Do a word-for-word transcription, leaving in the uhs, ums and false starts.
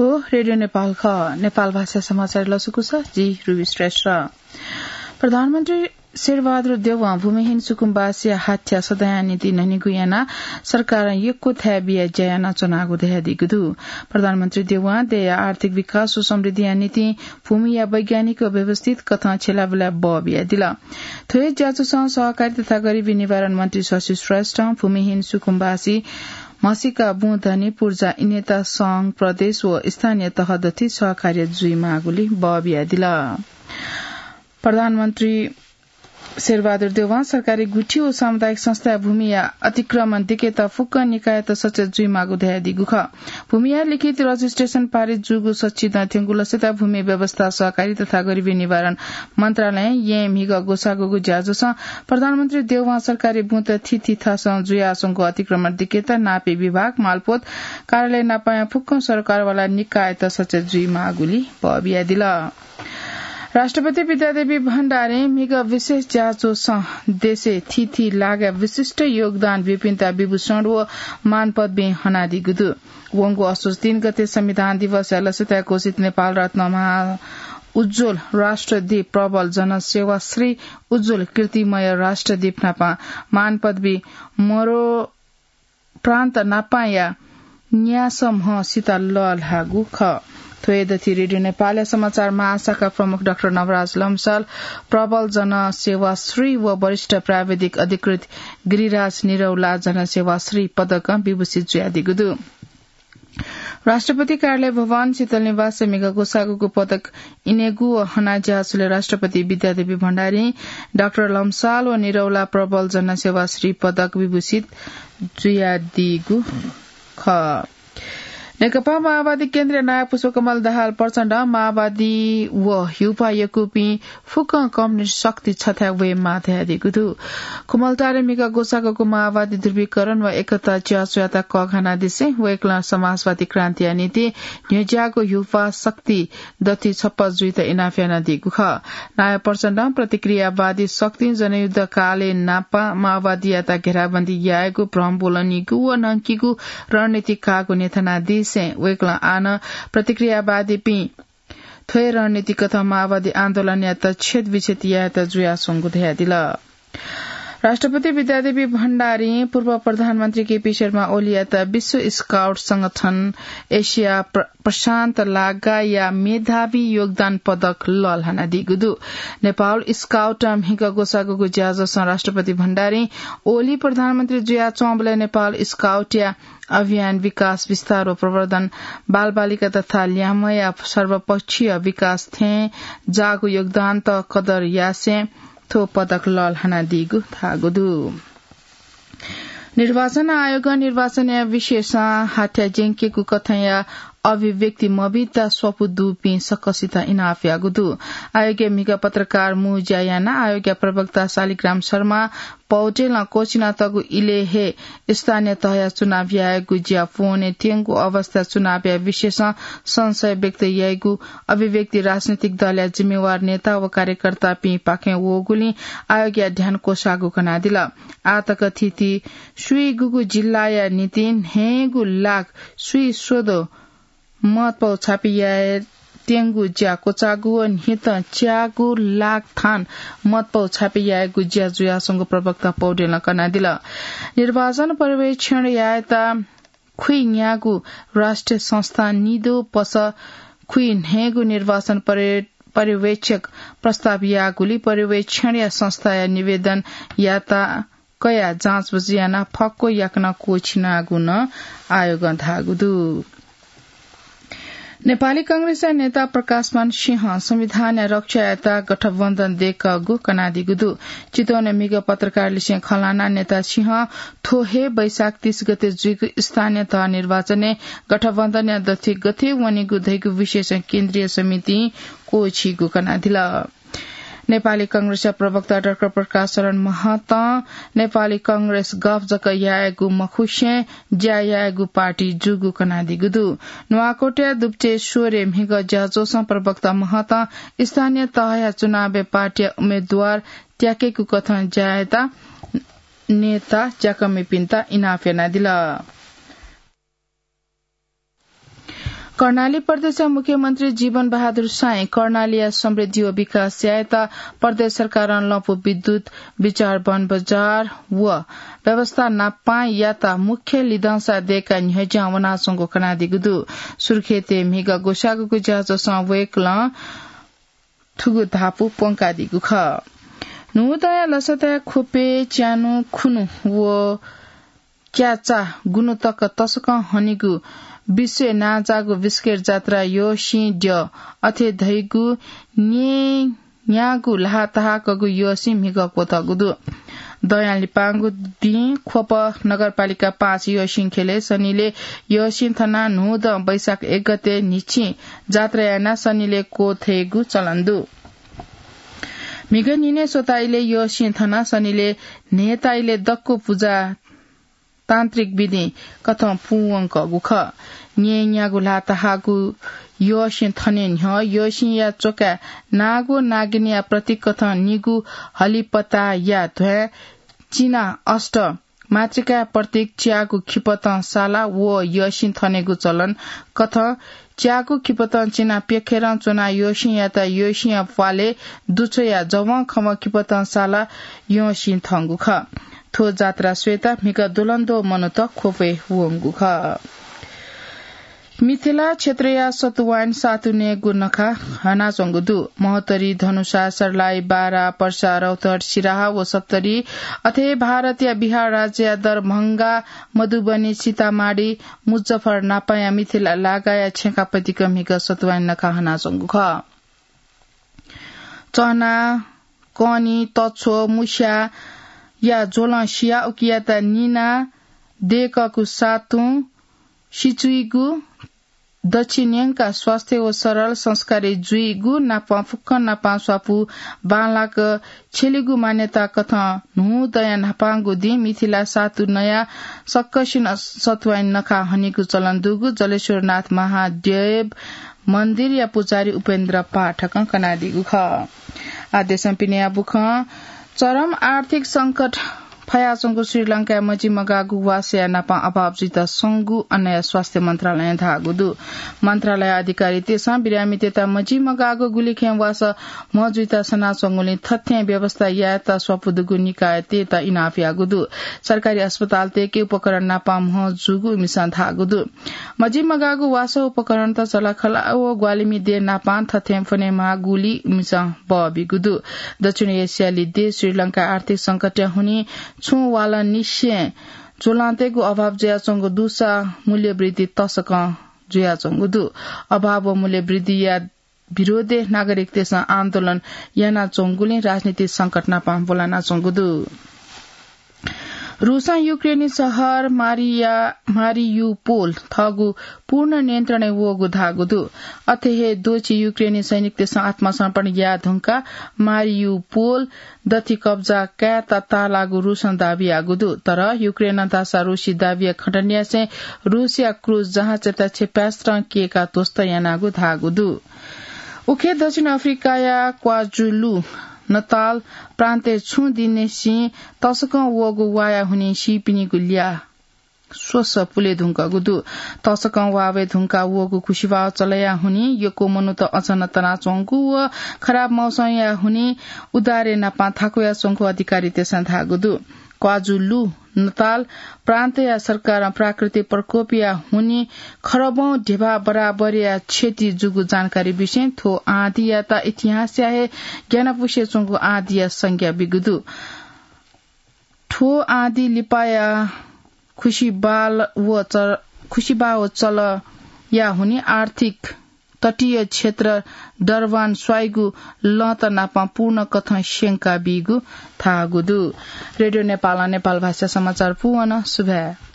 रेडियो नेपाल खः। नेपाल भाषा समाचार लसकुस, जि रुबी श्रेष्ठ। प्रधानमन्त्री शेरबहादुर देउवां भूमिहीन सुकुम्बासीया हाथ्या सदांया निंतिं न्हनेगु यानाः सरकारं यक्व थाय् बियाः ज्या यानाच्वनागु धयादीगु दु। प्रधानमन्त्री देउवां देय्‌या आर्थिक विकास व समृद्धिया निंतिं भूमिया वैज्ञानिक व व्यवस्थित कथं छ्यलाबुलाय् बः बियादिल। थ्व हे ज्याझ्वलं सहकारी तथा गरिबी निवारण मन्त्री शशि श्रेष्ठं भूमिहीन सुकुम्बासी म्हसीका बुँ धनी पूर्जा इनेत संघ, प्रदेश व स्थानीय तह दथुइ सहकार्य जुइमाःगुलिं बः बियादिल। प्रधानमन्त्री शेरबहादुर देउवां सरकारी गुठी व सामुदायिक संस्थाया भूमिया अतिक्रमण दिकेत फुक्क निकायत सचेत जुइमाःगु धयादीगु खः। भूमिया लिखित रजिस्ट्रेसन पारित जूगु सच्छि दँ थ्यंगु लसता भूमि व्यवस्था, सहकारी तथा गरिबी निवारण मन्त्रालयं येँ म्हिगः ग्वसाःगुगु ज्याझ्वलं प्रधानमन्त्री देउवां सरकारी बुँत थीथी थासं जुयाच्वंगु अतिक्रमण दिकेत नापी विभाग, मालपोत कार्यालय नापंया फुक्क सरकारवाला निकायत सचेत जुइमाःगुलिं बः बियादिल। राष्ट्रपति विद्यादेवी भण्डारीं म्हिगः विशेष ज्याझ्वलं देशय् थीथी लागाय् विशिष्ट योगदान ब्यूपिन्त विभूषण व मान पदवीं हनादीगु दु। वंगु असोज तीन गते संविधान दिवसया लसताय् घोषित नेपाल रत्न महा उज्ज्वल राष्ट्रदीप प्रबल जनसेवा श्री उज्ज्वल कीर्तिमय राष्ट्रदीप नापं मान पदवी मरो प्रान्त नापांया न्यासः म्हसित लःल्हाःगु खः। थ्व हे दथुइ रेडियो नेपालया समाचार महाशाखा प्रमुख डाक्टर नवराज लम्साल प्रबल जनसेवा श्री व वरिष्ठ प्राविधिक अधिकृत गिरिराज निरौला जनसेवा श्री पदकं विभूषित जुयादीगु दु। राष्ट्रपति कार्यालय भवन शीतल निवासय् म्हिगः ग्वसाःगुगु पदक इनेगु व हना ज्याझ्वलय् राष्ट्रपति विद्यादेवी भण्डारीं डाक्टर लम्साल व निरौला प्रबल जनसेवा श्री पदक विभूषित जुयादीगु खः। नेकपा माओवादी केन्द्रीय नायः पुष्पकमल दाहाल प्रचण्डं माओवादी व ह्युपा यक्वपिं फुक्कं कम्युनिस्ट शक्ति छथाय् वयेमाः धयादीगु दु। खुमलटारे म्हिगः ग्वसाःगुगु माओवादी ध्रुवीकरण व एकता ज्याझ्वःयात कःघानादिसें वय्कलं समाजवादी क्रान्तिया निंतिं न्ह्यज्याःगु ह्युपा शक्ति दथुइ छप्पँ जुइत इनाप यानादीगु खः। नायः प्रचण्डं प्रतिक्रियावादी शक्तिं जनयुद्ध कालय् नापं माओवादीयात घेराबन्दी यायेगु, भ्रम ब्वलनीगु व न्हंकीगु रणनीति काःगु न्ह्यथनादिसें वय्कलं आः नं प्रतिक्रियावादीपिं थ्व हे रणनीति कथं माओवादी आन्दोलनयात छेदविच्छेद यायेत जुयाच्वंगु धयादिल। राष्ट्रपति विद्यादेवी भण्डारीं पूर्व प्रधानमन्त्री केपी शर्मा ओलीयात विश्व स्काउट संगठन एसिया प्र-, प्रशान्त लागाया मेधावी योगदान पदक लःल्हानादीगु दु। नेपाल स्काउटं म्हिगः ग्वसाःगुगु ज्याझ्वलं राष्ट्रपति भण्डारीं ओली प्रधानमन्त्री जुयाच्वंबलय् नेपाल स्काउटया अभियान, विकास, विस्तार व प्रवर्धन, बालबालिका तथा ल्याम्हया सर्वपक्षीय विकास थें जाःगु योगदानत कदर यासें थ्व पदक लःल्हानादीगु धाःगु दु। निर्वाचन आयोगं निर्वाचनया विषयसं हाथ्या ज्यंकेगु कथंया अभिव्यक्ति मबीत स्वापू दुपिं सकसित इनाप याःगु दु। आयोगया म्हिगः पत्रकार मू ज्या यानाः आयोगया प्रवक्ता शालिग्राम शर्मा पौडेलं क्वःछिनातःगु इलय् हे स्थानीय तहया चुनाव यायेगु ज्या पूवने त्यंगु अवस्था चुनावया विषयसं संशय व्यक्त याइगु अभिव्यक्ति राजनैतिक दलया जिम्मेवार नेता व कार्यकर्तापिं पाखें वःगुलिं आयोगया ध्यान क्वसाःगु कनादिल। आःतक थीथी स्वीगुगु जिल्लाया निंतिं न्हय्गू लाख स्वीस्वदँ मतपौ छापे याये त्यंगु ज्या क्वचाःगु व न्हितं च्यागू लाख थान मतपौ छापे यायेगु ज्या जुयाच्वंगु प्रवक्ता पौडेलं कनादिल। निर्वाचन पर्यवेक्षण यायेत खुइन्यागू राष्ट्रिय संस्था निदँ पसः खुइन्हय्गू निर्वाचन पर्य-, पर्यवेक्षक प्रस्ताव याःगुलिं पर्यवेक्षणया संस्थाया निवेदन याता कयाः जाँचबुझ यानाः फक्व याकनं क्वःछिनागु नं आयोगं धाःगु दु। नेपाली कांग्रेसया नेता प्रकाशमान सिंहं संविधानया रक्षायात गठबन्धन दय्कःगु कनादीगु दु। चितवनय् म्हिगः पत्रकारलिसें खँ ल्हानाः नेता सिंहं थ्व हे वैशाख तीस गते जुइगु स्थानीय तह निर्वाचनय् गठबन्धनया दथुइ गथे वनेगु धइगु विषयसं केन्द्रीय समितिं क्वःछीगु कनादिल। नेपाली कांग्रेसया प्रवक्ता डाक्टर प्रकाश शरण महतं नेपाली कांग्रेस गफ जक यायेगु मखुसें ज्या यायेगु पार्टी जूगु कनादीगु दु। नुवाकोटया दुप्चे स्वरे म्हिगः ज्याझ्वलय् प्रवक्ता महतं स्थानीय तहया चुनावय् पार्टीया उम्मेदवार त्याकेगु कथं ज्या यायेत नेता ज्याकःमिपिन्त इनाप यानादिल। कर्णाली प्रदेशया मुख्यमन्त्री जीवन बहादुर साईं कर्णालीया समृद्धि व विकास यायेत प्रदेश सरकारं लँपु विद्युत, बिचार वन बजार व व्यवस्था नापां यात मुख्य लिधंसा दय्काः न्ह्यज्यां वनाच्वंगु कनादीगु दु। सुर्खेतय् म्हिगः ग्वसाःगुगु ज्याझ्वलय् वय्कलं थुगु धापू प्वंकादीगु खः। न्हूदँया लसताय् ख्वपय् च्यान्हु, खुन्हु व क्याचा गुन्हु तक तसकं हनीगु विश्वय् नांजाःगु बिस्केट जात्रा यःसिं द्यः। अथे धइगु न्येन्यागू ल्हाः तहाकःगु यःसिं म्हिगः क्वतःगु दु। दँया लिपांगु दिं ख्वप नगरपालिका पाँच यःसिं ख्यलय् सनिलय् यःसिं थनाः न्हूदँ वैशाख एक गते न्हिच्छि जात्रा यानाः सनिलय् क्वथयेगु चलन दु। म्हिगः न्हिनय् स्वता इलय् यःसिं थनाः सनिलय् न्हय्ता इलय् दक्व पुजा तान्त्रिक विधिं कथं पूवंकःगु खः। न्येन्यागू ल्हाः तहाःगु यःसिं थने न्ह्यः यःसिंया च्वकाय् नाग व नागिनया प्रतीक कथं निगू हलिपताया ध्वाँय् चिना अष्ट मातृकाया प्रतीक च्यागू खिपतं साला व यःसिं थनेगु चलन कथं च्यागू खिपतं चिना प्यखेरं च्वनाः यःसिंयात यःसिंया प्वालय् दुछ्वयाः जवंखवं खिपतं साला यःसिं थंगु खः। थ्व जात्रा स्वयेत म्हिगः द्वलंद्वः मनूत ख्वपय् वंगु खः। मिथिला क्षेत्रया सतुवाइन सातु नयेगु नखा हनाच्वंगु दु। महोत्तरी, धनुषा, सर्लाही, बारा, पर्सा, रौतहट, सिराहा व सप्तरी, अथे भारतया बिहार राज्यया दरभंगा, मधुबनी, सीतामाढी, मुजफ्फर नापाया मिथिला लागाया छेँखापतिक म्हिगः सतुवाइन नखा हनाच्वंगु खः। चना, कनी, तछ्व, मुस्याया झ्वलं सियाः उकियात निनाः दय्कःगु सातुं सिचुइगु, दच्छि न्यंकाः स्वास्थ्य व सरल संस्कारी जुइगु नापं फुक्कं नापं स्वापू बांलाक छ्यलेगु मान्यता कथं न्हूदँया न्हापांगु दिं मिथिला सातु नयाः सकसिनं सतुवाइन नखा हनीगु चलन दुगु जलेश्वरनाथ महादेव मन्दिरया पुजारी उपेन्द्र पाठकं कनादीगु खः। आः देशं पिनेया बुखँ। चरम आर्थिक संकट फयाच्वंगु श्रीलंकाय् मजिमगाःगु वासःया नापं अभाव जुइत संगु अन्नया स्वास्थ्य मन्त्रालयं धाःगु दु। मन्त्रालय अधिकारीतय्सं बिरामीतय्त मजिमगाःगु गुलिखय् वासः म्हजुइत सनाच्वंगुलिं थथें व्यवस्था यायेत स्वापू दुगु निकायतय्त इनाप याःगु दु। सरकारी अस्पतालतय्के उपकरण नापं म्हजूगु इमिसं धाःगु दु। मजिमगाःगु वासः उपकरणत चलाखला व ग्वालिमि देय् नापं थथें फ्वनेमाःगुलिं इमिसं बः बीगु दु। दक्षिण एसियाली देश श्रीलंका आर्थिक संकटया हुनिं छुं वालंनिसें ज्वलंतय्गु अभाव जुयाच्वंगु दुसा मूल्यवृद्धि तसकं जुयाच्वंगु दु। अभाव व मूल्यवृद्धिया विरोधय् नागरिकतय्सं आन्दोलन यानाच्वंगुलिं राजनीतिक संकट नापं ब्वलानाच्वंगु दु। रूसं युक्रेनी शहर मारिया-, मारियुपोल थःगु पूर्ण नियन्त्रणय् वःगु धाःगु दु। अथे हे द्वःछि युक्रेनी सैनिकतय्सं आत्मसमर्पण याये धुंकाः मारियुपोल दथि कब्जा कायेत ताःलाःगु रूसं दाबी याःगु दु। तर युक्रेनं धाःसा रूसी दाबीया खण्डन यासें रूसया क्रुज जहाजयात क्षेपणास्त्रं कय्काः ध्वस्त यानागु धाःगु दु। उखे दक्षिण अफ्रिकाया क्वाजुलु नताल प्रान्तय् छुं दिननिसें तसकं वःगु वाया हुनिं सीपिनिगु ल्याः स्वसः पुले धुंकूगु दु। तसकं वा वये धुंकाः वःगु खुसिबाः चलया हुनिं यक्व मनूत अचन तनाच्वंगु व खराब मौसमया हुनिं उद्धारय् नापं थाकुयाच्वंगु अधिकारीतय्सं धाःगु दु। क्वाजुलु नताल प्रान्तया सरकारं प्राकृतिक प्रकोपया हुनिं खरबौं ध्यबा बराबरया क्षति जूगु जानकारी बिसें थ्व आँधीयात इतिहासया हे ग्यानापुसे च्वंगु आँधीया संज्ञा बीगु दु। थ्व आँधी लिपाया खुसिबाल व चल-, खुसिबाः व चलया हुनिं आर्थिक तटीय क्षेत्र डरबान स्वाइगु लँत नापं पूर्ण कथं स्यंका बीगु धाःगु दु। रेडियो नेपालं नेपाल भाषा समाचार पूवन। सुभाय्।